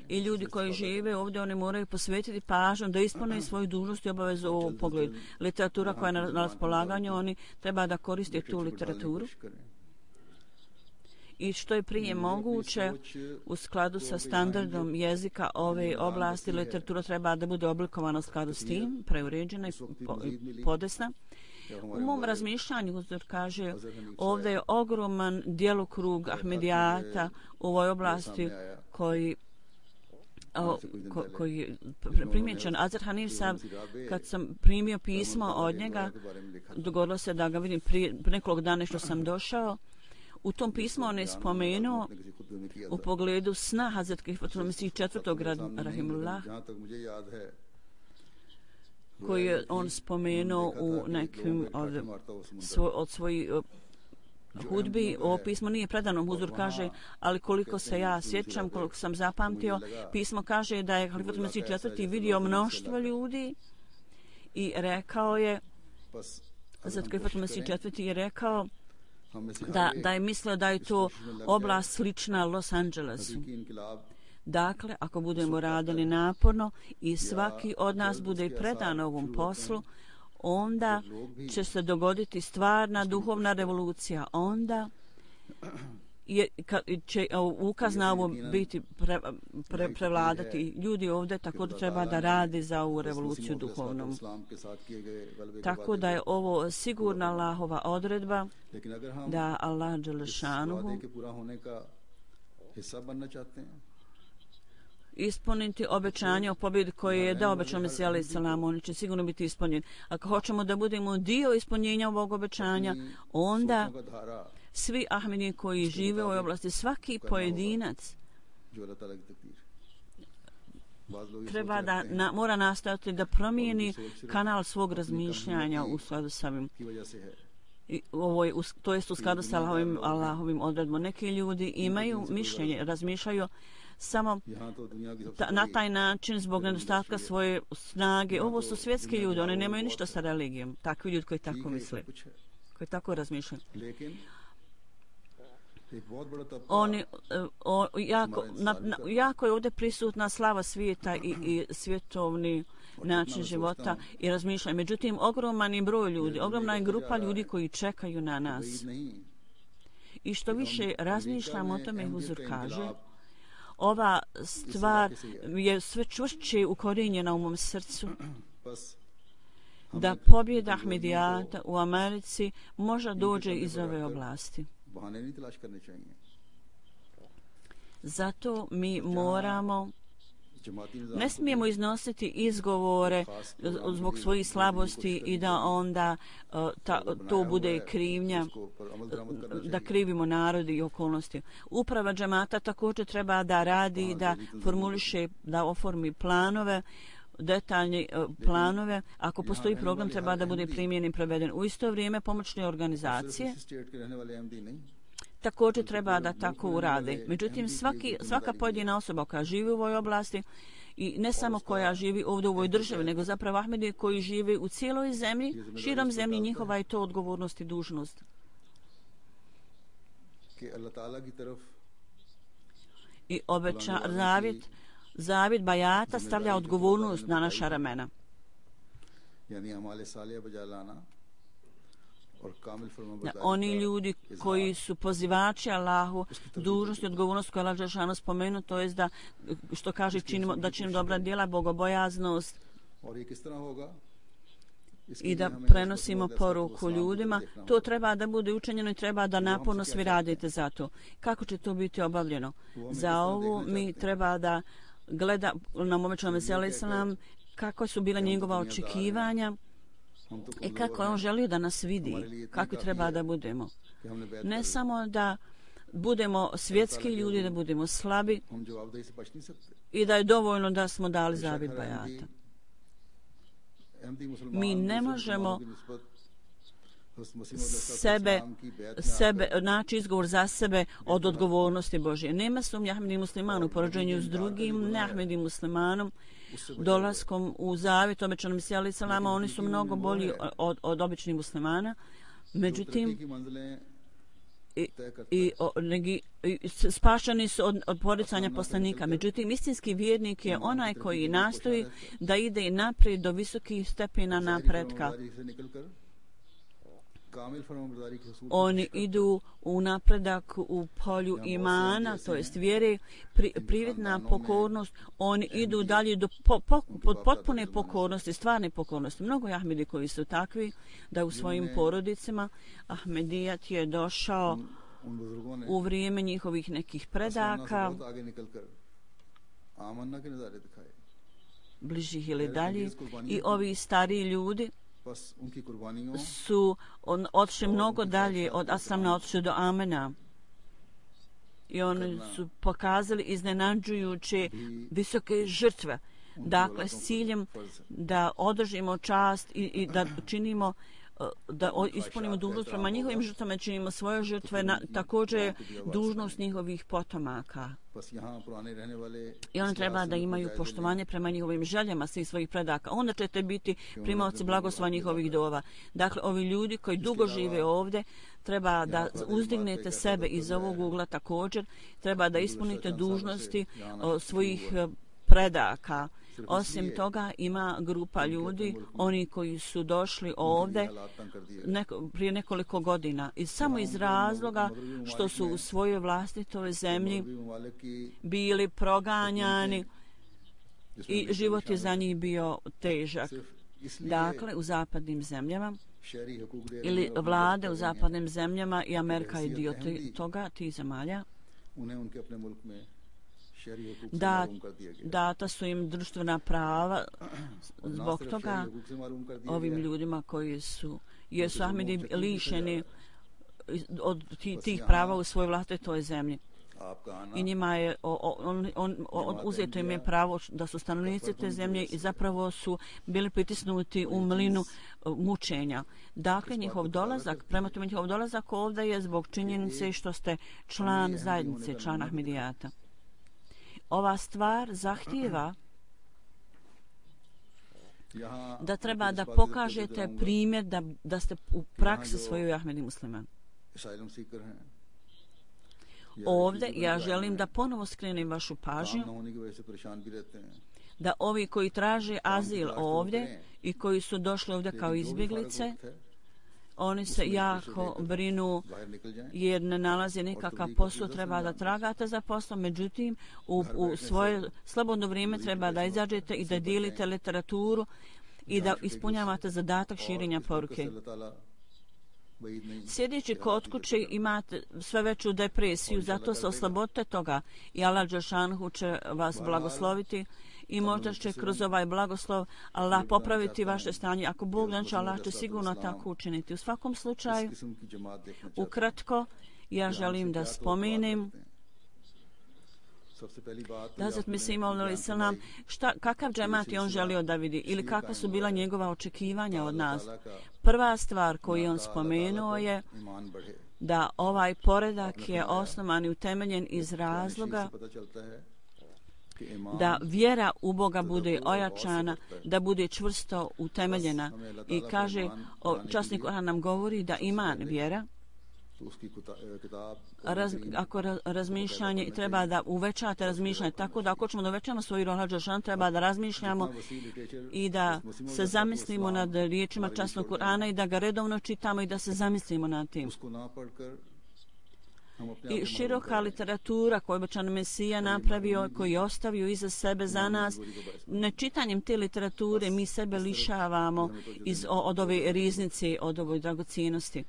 I ljudi koji žive ovdje, oni moraju posvetiti pažnju da ispune svoju dužnost i obavezu u ovom pogledu. Literatura koja je na, na raspolaganju, oni treba da koriste tu literaturu. I što je prije moguće, u skladu sa standardom jezika ove oblasti, literatura treba da bude oblikovana u skladu s tim, preuređena i podesna. U mom razmišljanju, Huzur kaže, ovdje je ogroman djelokrug Ahmedijata u ovoj oblasti koji O, ko, koji je primjećen. Azar Hanif sam, kad sam primio pismo od njega, dogodilo se da ga vidim prije nekoliko dana što sam došao. U tom pismu on je spomenuo u pogledu sna Hazret Kalifatul Mesih četvrtog rahimullah, koji je on spomenuo u nekim od, svoj, od svojih hudbi. Ovo pismo nije predano, Huzur kaže, ali koliko se ja sjećam, koliko sam zapamtio, pismo kaže da je Kalifatul Mesih četvrti vidio mnoštvo ljudi i rekao je, Hazret Kalifatul Mesih četvrti je rekao da, da je mislio da je to oblast slična Los Angelesu. Dakle, ako budemo radili naporno i svaki od nas bude predan ovom poslu, onda će se dogoditi stvarna duhovna revolucija. Onda je, ka, će ukaz na ovo biti pre, pre, prevladati. Ljudi ovdje također treba da radi za ovu revoluciju duhovnom. Tako da je ovo sigurna Allahova odredba da Allah dželešanuhu ispuniti obećanje o pobjedi koje je dao obećao Mesija alejhi selam, oni će sigurno biti ispunjeni. Ako hoćemo da budemo dio ispunjenja ovog obećanja, onda svi Ahmedi koji žive u ovoj oblasti, svaki pojedinac treba da na, mora nastaviti da promijeni kanal svog razmišljanja u skladu sa ovim. I ovoj, to jest u skladu sa Allahovim, Allahovim odredbom. Neki ljudi imaju mišljenje, razmišljaju samo ta, na taj način zbog nedostatka svoje snage. Ovo su svjetski ljudi, oni nemaju ništa sa religijom. Takvi ljudi koji tako misle, koji tako razmišljaju. Oni, o, jako, na, na, jako je ovdje prisutna slava svijeta i, i svjetovni način života i razmišljanja. Međutim, ogroman je broj ljudi, ogromna je grupa ljudi koji čekaju na nas. I što više razmišljam o tome, Huzur kaže, ova stvar je sve čvršće ukorijenjena u mom srcu, da pobjeda Ahmedijata u Americi možda dođe iz ove oblasti. Zato mi moramo, ne smijemo iznositi izgovore zbog svojih slabosti i da onda ta, to bude krivnja, da krivimo narodi i okolnosti. Uprava džemata također treba da radi, da formuliše, da oformi planove, detaljne planove. Ako postoji program, treba da bude primjen i preveden. U isto vrijeme pomoćne organizacije također treba da tako urade. Međutim, svaki, svaka pojedina osoba koja živi u ovoj oblasti i ne samo koja živi ovdje u ovoj državi, nego zapravo Ahmedi koji živi u cijeloj zemlji, širom zemlji, njihova je to odgovornost i dužnost. I obeća, zavjet, zavjet bajata stavlja odgovornost na naša ramena. Da, oni ljudi koji su pozivači Allahu, dužnost i odgovornost koja Allah dželešanu spomenu, to je da, što kaže, činimo, da činimo dobra djela, bogobojaznost i da prenosimo poruku ljudima, to treba da bude učinjeno i treba da naporno svi radite za to. Kako će to biti obavljeno? Za ovo mi treba da gleda na obećanom Mesija alejhi selam kako su bila njegova očekivanja i kako on želio da nas vidi, kako treba da budemo. Ne samo da budemo svjetski ljudi, da budemo slabi i da je dovoljno da smo dali zavjet bajata. Mi ne možemo sebe, sebe, naći izgovor za sebe od odgovornosti Božje. Nema sumnje Ahmedi musliman u poređenju s drugim ne Ahmedi muslimanom, dolaskom u zavjet obećanom Mesija alejhi selama, oni su mnogo bolji od, od običnih muslimana. Međutim, i, i, o, negi, i spašani su od, od poricanja poslanika. Međutim, istinski vjernik je onaj koji nastoji da ide naprijed do visokih stepena napretka. Oni idu u napredak u polju imana, to jest vjere, pri, privitna pokornost, oni idu dalje do po, po, pod potpune pokornosti, stvarne pokornosti. Mnogo je Ahmedi koji su takvi da u svojim porodicama Ahmedijat je došao u vrijeme njihovih nekih predaka, bližih ili dalje, i ovi stariji ljudi su on, otišli mnogo dalje od Aslamna, otišli do Amena. I oni su pokazali iznenađujuće visoke žrtve. Dakle, s ciljem da održimo čast i, i da činimo, da ispunimo dužnost prema njihovim žrtvama, činimo svoje žrtve, na, također dužnost njihovih potomaka. I oni treba da imaju poštovanje prema njihovim željama svih svojih predaka. Onda ćete biti primaoci blagoslova njihovih dova. Dakle, ovi ljudi koji dugo žive ovdje, treba da uzdignete sebe iz ovog ugla također, treba da ispunite dužnosti o, svojih predaka. Osim toga ima grupa ljudi, oni koji su došli ovdje neko, prije nekoliko godina i samo iz razloga što su u svojoj vlastitoj zemlji bili proganjani i život je za njih bio težak. Dakle, u zapadnim zemljama ili vlade u zapadnim zemljama i Amerika je dio toga, tih zemalja, da, data su im društvena prava zbog toga ovim ljudima koji su, jer su Ahmedi lišeni od tih prava u svojoj vlastitoj zemlji. I njima je on, on, on, uzeto im je pravo da su stanovnici te zemlje i zapravo su bili pritisnuti u mlinu mučenja. Dakle, njihov dolazak, prema tome njihov dolazak ovdje je zbog činjenice što ste član zajednice, član Ahmedijata. Ova stvar zahtijeva da treba da pokažete primjer da, da ste u praksi svojoj Ahmedi musliman. Ovdje ja želim da ponovo skrenem vašu pažnju da ovi koji traže azil ovdje i koji su došli ovdje kao izbjeglice, oni se jako brinu jer ne nalaze nikakav posao, treba da tragate za poslom, međutim u, u svoje slobodno vrijeme treba da izađete i da dijelite literaturu i da ispunjavate zadatak širenja poruke. Sjedeći kod kuće imate sve veću depresiju, zato se oslobodite toga i Allah Đelšanhu će vas blagosloviti i možda će kroz ovaj blagoslov Allah popraviti vaše stanje. Ako Bog znači, Allah će sigurno tako učiniti. U svakom slučaju, ukratko, ja želim da spomenem da Hazret Mesih Maud selam, šta, kakav džemat je on želio da vidi ili kakva su bila njegova očekivanja od nas. Prva stvar koju on spomenuo je da ovaj poredak je osnovan i utemeljen iz razloga da vjera u Boga bude ojačana, da bude čvrsto utemeljena. I kaže, o, časnik Kur'an nam govori da iman, vjera, Raz, ako raz, razmišljanje treba da uvećate razmišljanje, tako da ako ćemo da uvećamo svoju rohađašan, treba da razmišljamo i da se zamislimo nad riječima časnog Kur'ana i da ga redovno čitamo i da se zamislimo nad tim. I široka literatura koju obećan Mesija napravio, koji je ostavio iza sebe za nas, nečitanjem te literature mi sebe lišavamo iz, od ove riznice, od ove dragocijenosti.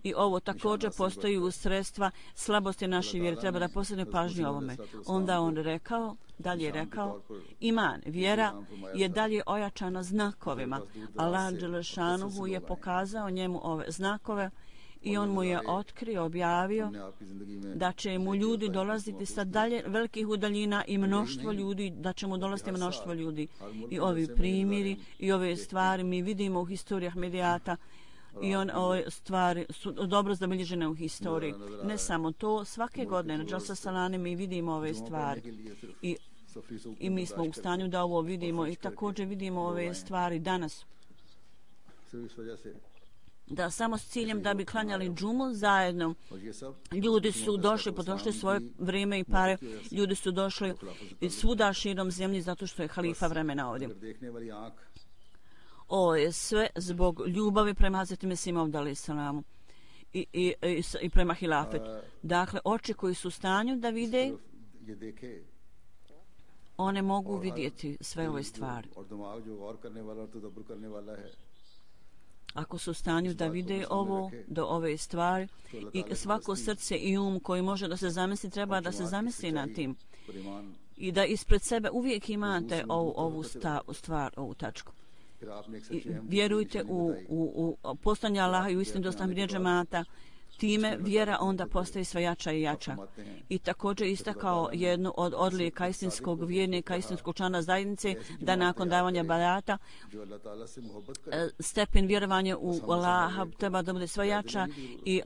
I ovo također postoji u sredstva slabosti naše vjere. Treba da posebno pažnju ovome. Onda on rekao, dalje rekao, iman, vjera je dalje ojačana znakovima. Allah Đelešanuhu je pokazao njemu ove znakove i on mu je otkrio, objavio da će mu ljudi dolaziti sa dalje velikih udaljina i mnoštvo ljudi, da će mu dolaziti mnoštvo ljudi. I ovi primjeri i ove stvari mi vidimo u historiji Ahmedijata i on, ove stvari su dobro zabilježene u historiji. Ne samo to, svake godine na Džalsa Salane mi vidimo ove stvari i, i mi smo u stanju da ovo vidimo i također vidimo ove stvari danas. Da samo s ciljem da bi klanjali džumu zajedno. Ljudi su došli, potrošili svoje vrijeme i pare. Ljudi su došli svuda širom zemlji zato što je halifa vremena ovdje. Ovo je sve zbog ljubavi prema Hazreti Mesih Maud alejhi selamu i, i, i, i prema hilafetu. Dakle, oči koji su u stanju da vide, one mogu vidjeti sve ove stvari. Ako su u stanju da vide ovo, do ove stvari, i svako srce i um koji može da se zamisli, treba da se zamisli nad tim. I da ispred sebe uvijek imate ovu, ovu sta, stvar, ovu tačku. I vjerujte u, u, u postanje Allaha i u istinu dostavljanje džemata, time vjera onda postaje sve jača i jača. I također istakao jednu od odlika istinskog vjernika, istinskog člana zajednice, da nakon davanja barata stepen vjerovanja u Allaha treba da bude sve jača i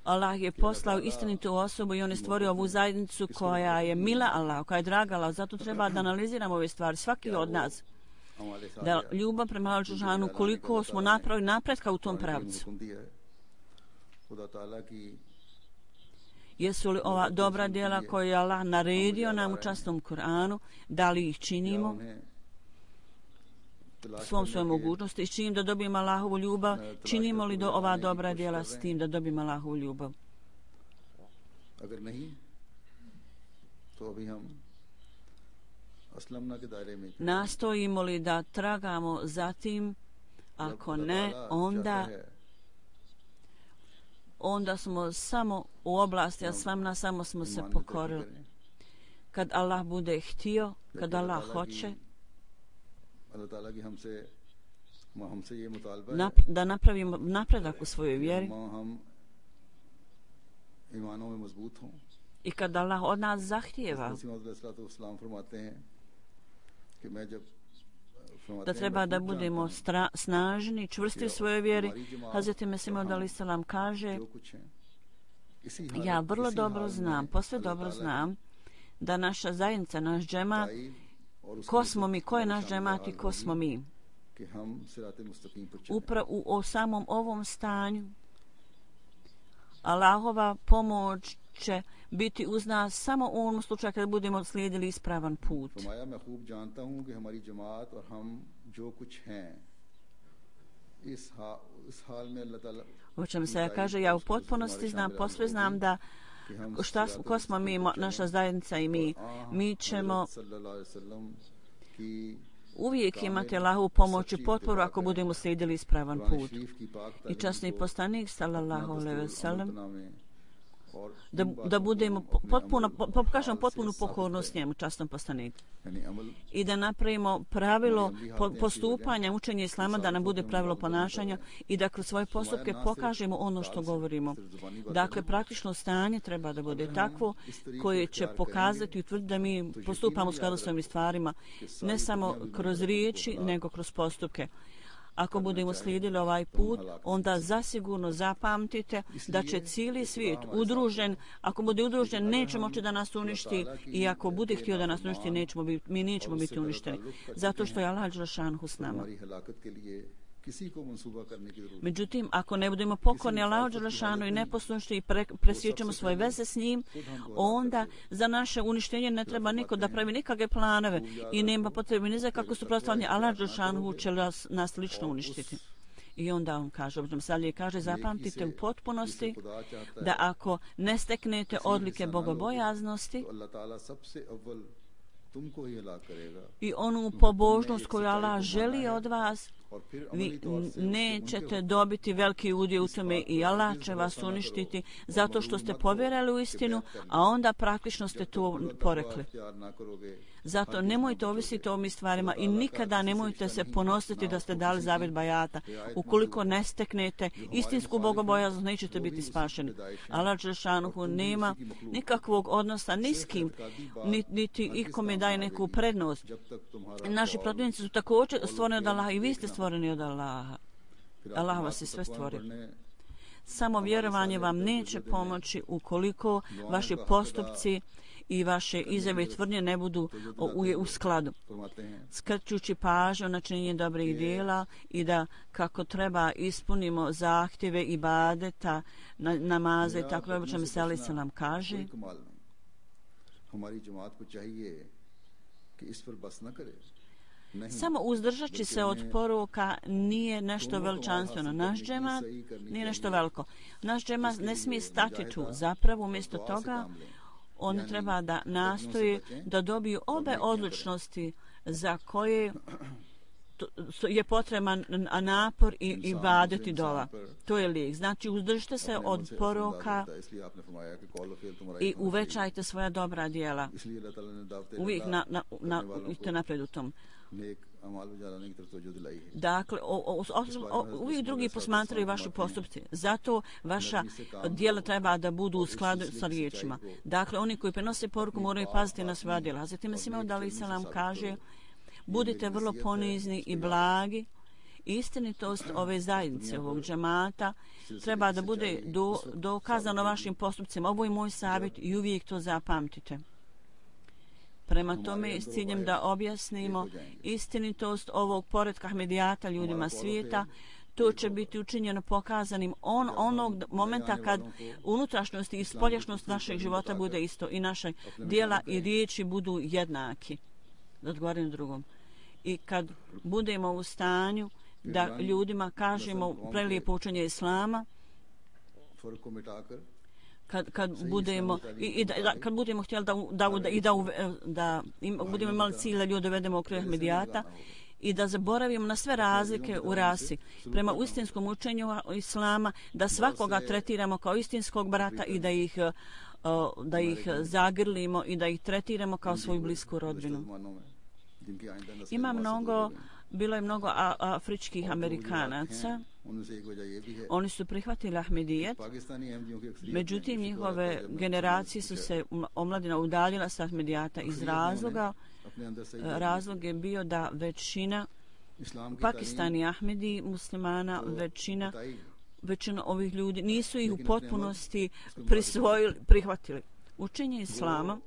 Allah je poslao istinitu osobu i on je stvorio ovu zajednicu koja je mila Allah, koja je draga Allah. Zato treba da analiziramo ove stvari, svaki od nas. Da ljubav prema Al-Đelešanu, koliko smo napravili napretka u tom pravcu. Jesu li ova dobra djela koje je Allah naredio nam u časnom Kur'anu, da li ih činimo svom svojom mogućnosti i s čim da dobijemo Allahovu ljubav, činimo li do ova dobra djela s tim da dobijemo Allahovu ljubav. Nastojimo li da tragamo za tim, ako ne, onda onda smo samo u oblasti aslamna, samo smo se pokorili. Kad Allah bude htio, kad Allah hoće, Nap, da napravimo napredak u svojoj vjeri i kad Allah od nas zahtijeva da treba da budemo stra, snažni, čvrsti u svojoj vjeri. Hazreti Mesih Maud alejhi selam kaže: ja vrlo dobro znam, posve dobro znam da naša zajednica, naš džemat, ko smo mi, ko je naš džemat i ko smo mi. Upravo u o samom ovom stanju Allahova pomoć će biti uz nas samo u onom slučaju kada budemo slijedili ispravan put. O čem se kaže, ja u potpunosti znam, posve znam da šta, ko smo mi, naša zajednica i mi, mi ćemo uvijek imati Allahovu pomoć i potporu ako budemo slijedili ispravan put. I časni poslanik sallallahu alejhi ve sellem da, da budemo potpuno, pokažemo potpunu pokornost njemu, časnom poslaniku. I da napravimo pravilo postupanja, učenje islama, da nam bude pravilo ponašanja i da kroz svoje postupke pokažemo ono što govorimo. Dakle, praktično stanje treba da bude takvo koje će pokazati i utvrditi da mi postupamo u skladu s ovim stvarima, ne samo kroz riječi, nego kroz postupke. Ako budemo slijedili ovaj put, onda zasigurno zapamtite da će cijeli svijet udružen, ako bude udružen, neće moći da nas uništi i ako bude htio da nas uništi, nećemo biti, mi nećemo biti uništeni. Zato što je Allah dželle šanuhu s nama. Međutim, ako ne budemo pokorni Allahu dželle šanuhu i neposlušni i pre, presjećemo svoje veze s njim, onda za naše uništenje ne treba niko da pravi nikakve planove i nema potrebe ni za kako suprotstavljanje. Allah dželle šanuhu će nas, nas lično uništiti. I onda on kaže, obzirom salje kaže, zapamtite u potpunosti da ako ne steknete odlike bogobojaznosti i onu pobožnost koju Allah želi od vas, vi nećete dobiti veliki udio u tome i Allah će vas uništiti zato što ste povjerili u istinu, a onda praktično ste to porekli. Zato nemojte ovisiti o ovim stvarima i nikada nemojte se ponositi da ste dali zavjet bajata. Ukoliko ne steknete istinsku bogobojaznost, nećete biti spašeni. Allah dželle šanuhu nema nikakvog odnosa ni s kim, niti ikome daje neku prednost. Naši protivnici su također stvoreni od Allaha i vi ste stvoreni od Allaha. Allah vas je sve stvorio. Samo vjerovanje vam neće pomoći ukoliko vaši postupci i vaše izjave i tvrdnje ne budu u, u skladu. Skrećući pažnju na činjenje dobrih djela i da kako treba ispunimo zahtjeve ibadeta, na, namaze i tako da čemu se alejhi selam kaže. Samo uzdržaći se od poroka nije nešto veličanstveno. Naš džemat nije nešto veliko. Naš džemat ne smije stati tu. Zapravo, umjesto toga, on treba da nastoji da dobiju obe odličnosti za koje je potreban napor i ibadet i dova. To je lijek. Znači, uzdržite se od poroka i uvećajte svoja dobra djela. Uvijek na, na, na, na, napred u tom. Dakle, o, o, o, uvijek drugi posmatraju vaši postupci. Zato vaša djela treba da budu u skladu sa riječima. Dakle, oni koji prenose poruku moraju paziti na svoja djela. Zatim Mesih Maud alejhi selam kaže: budite vrlo ponizni i blagi. Istinitost ove zajednice, ovog džemata, treba da bude do, dokazano vašim postupcima. Ovo je moj savjet i uvijek to zapamtite. Prema tome, s ciljem da objasnimo istinitost ovog poretka Ahmedijata ljudima svijeta, to će biti učinjeno pokazanim on, onog momenta kad unutrašnjost i spoljašnjost našeg života bude isto i naše djela i riječi budu jednaki. Da odgovorim drugom. I kad budemo u stanju da ljudima kažemo prelijepo učenje Islama, kad, kad budemo i, i da, da, kad budemo htjeli da, da, da, i da, da im, budemo imali cilj da ljude vedemo u kraj Ahmedijata i da zaboravimo na sve razlike u rasi. Prema istinskom učenju Islama, da svakoga tretiramo kao istinskog brata i da ih, da ih zagrlimo i da ih tretiramo kao svoju blisku rodbinu. Ima mnogo, bilo je mnogo a, afričkih Amerikanaca. Oni su prihvatili Ahmedijet, međutim njihove generacije su se omladina udaljila sa Ahmedijata iz razloga. Razlog je bio da većina Pakistani Ahmedi muslimana, većina, većina ovih ljudi nisu ih u potpunosti prisvojili, prihvatili. Učenje Islama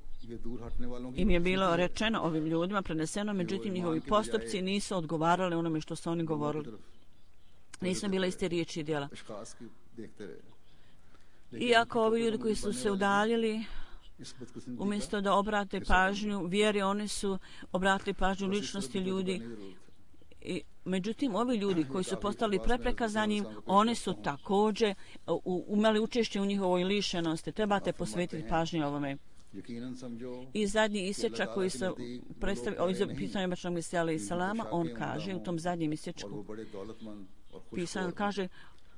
im je bilo rečeno ovim ljudima, preneseno, međutim njihovi postupci nisu odgovarali onome što su oni govorili. Nisu bile iste riječi i djela. Iako ovi ljudi koji su se udaljili, umjesto da obrate pažnju vjeri, oni su obratili pažnju ličnosti ljudi. I, međutim, ovi ljudi koji su postali prepreka za njim, oni su također umeli učešće u njihovoj lišenosti. Trebate posvetiti pažnju ovome. I zadnji isječak koji se predstavi o pitanju Bačnog Mesija alejhi salama, on kaže u tom zadnjem isječku pisan, kaže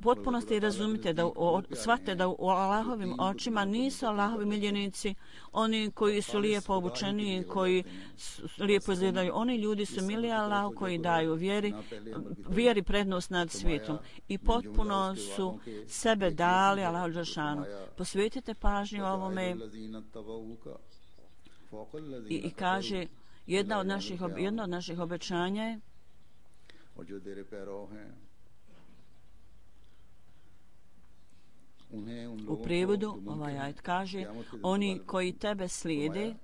potpuno ste i razumite da o, shvate da u Allahovim očima nisu Allahovi miljenici oni koji su lijepo obučeni, koji lijepo izgledaju. Oni ljudi su mili Allahu koji daju vjeri, vjeri prednost nad svijetom i potpuno su sebe dali Allahu dželešanu. Posvetite pažnju ovome i, i kaže jedna od naših, jedna od naših obećanja je u prevodu ovaj ajet kaže oni koji tebe slijede,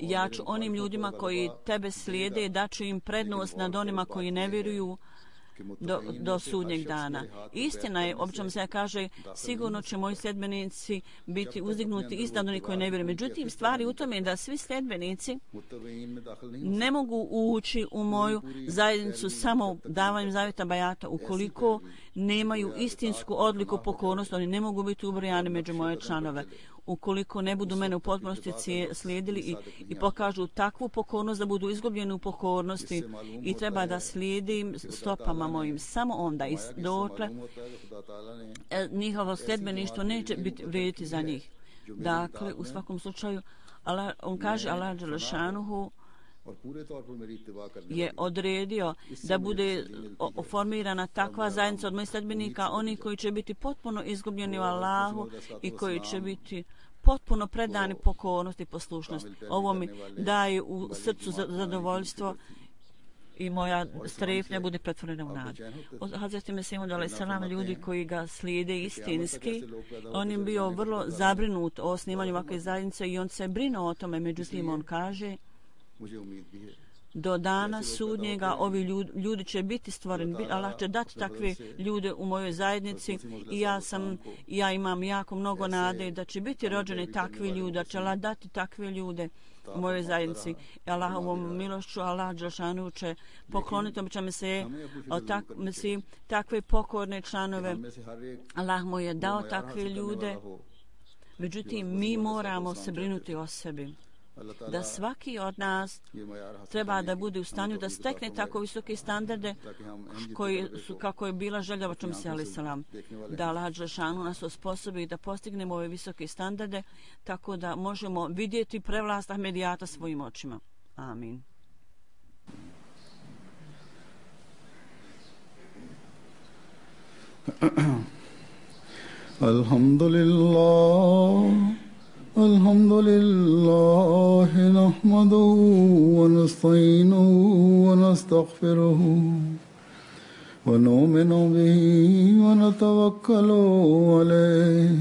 ja ću onim ljudima koji tebe slijede daću im prednost nad onima koji ne vjeruju do, do sudnjeg dana. Istina je, obično se kaže, sigurno će moji sljedbenici biti uzdignuti iznad onih koji ne vjeruju. Međutim, stvari u tome je da svi sljedbenici ne mogu ući u moju zajednicu samo davanjem zavjeta bajata ukoliko nemaju istinsku odliku pokornosti. Oni ne mogu biti ubrojani među moje članove. Ukoliko ne budu mene u potpunosti slijedili i, i pokažu takvu pokornost da budu izgubljeni u pokornosti i treba da slijedim stopama mojim. Samo onda i dotle njihovo sljedbeništvo neće biti vrijediti za njih. Dakle, u svakom slučaju, Allah, on kaže Allah dželešanuhu je odredio da bude formirana takva zajednica od mojih sledbenika, oni koji će biti potpuno izgubljeni u Allahu i koji će biti potpuno predani pokornosti i poslušnosti. Ovo mi daje u srcu zadovoljstvo i moja strepnja bude pretvorena u nadu. Od Hazreti Mesihud alejhi selam ljudi koji ga slijede istinski, on je bio vrlo zabrinut o osnivanju ovakve zajednice i on se brinuo o tome, međutim on kaže do dana sudnjega ovi ljudi, ljudi će biti stvoreni, Allah će dati takve ljude u mojoj zajednici i ja sam, ja imam jako mnogo nade da će biti rođeni takvi ljudi, da će Allah dati takve ljude u mojoj zajednici. Allahovom milošću Allah dželešanu će pokloniti običajno se tak, mislim, takve pokorne članove. Allah mu je dao takve ljude, međutim mi moramo se brinuti o sebi. Da svaki od nas treba da bude u stanju da stekne tako visoke standarde koji su, kako je bila želja Bačnog Mesija alejhi selam, da Allah dželešanu nas osposobi da postignemo ove visoke standarde tako da možemo vidjeti prevlast Ahmedijata svojim očima. Amin. Alhamdulillah الحمد لله نحمده ونستعينه ونستغفره ونؤمن به ونتوكل عليه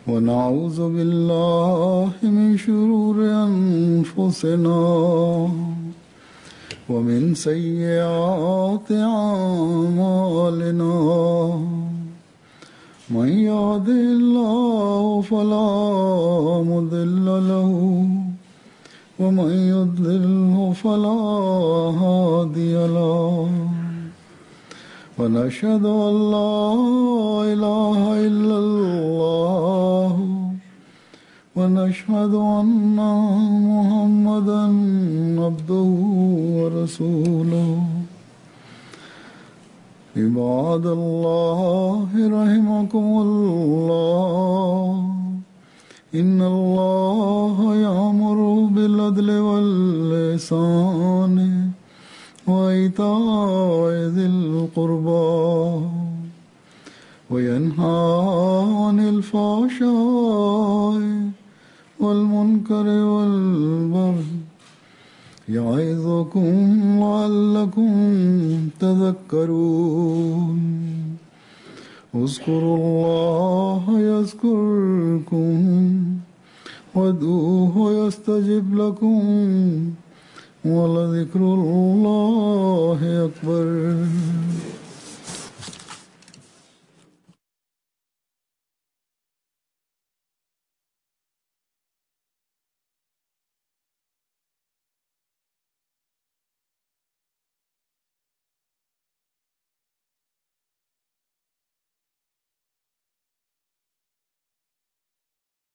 ونعوذ بالله من شرور أنفسنا ومن سيئات أعمالنا من يهده الله فلا مضل له ومن يضلله فلا هادي له ونشهد أن لا إله إلا الله ونشهد أن محمدا عبده ورسوله عباد الله رحمكم الله إن الله يأمر بالعدل والإحسان وإيتاء ذي القربى وينهى عن الفحشاء والمنكر والبغي يعظكم لعلكم تذكرون اذكروا الله يذكركم وادعوه يستجب لكم ولذكر الله أكبر.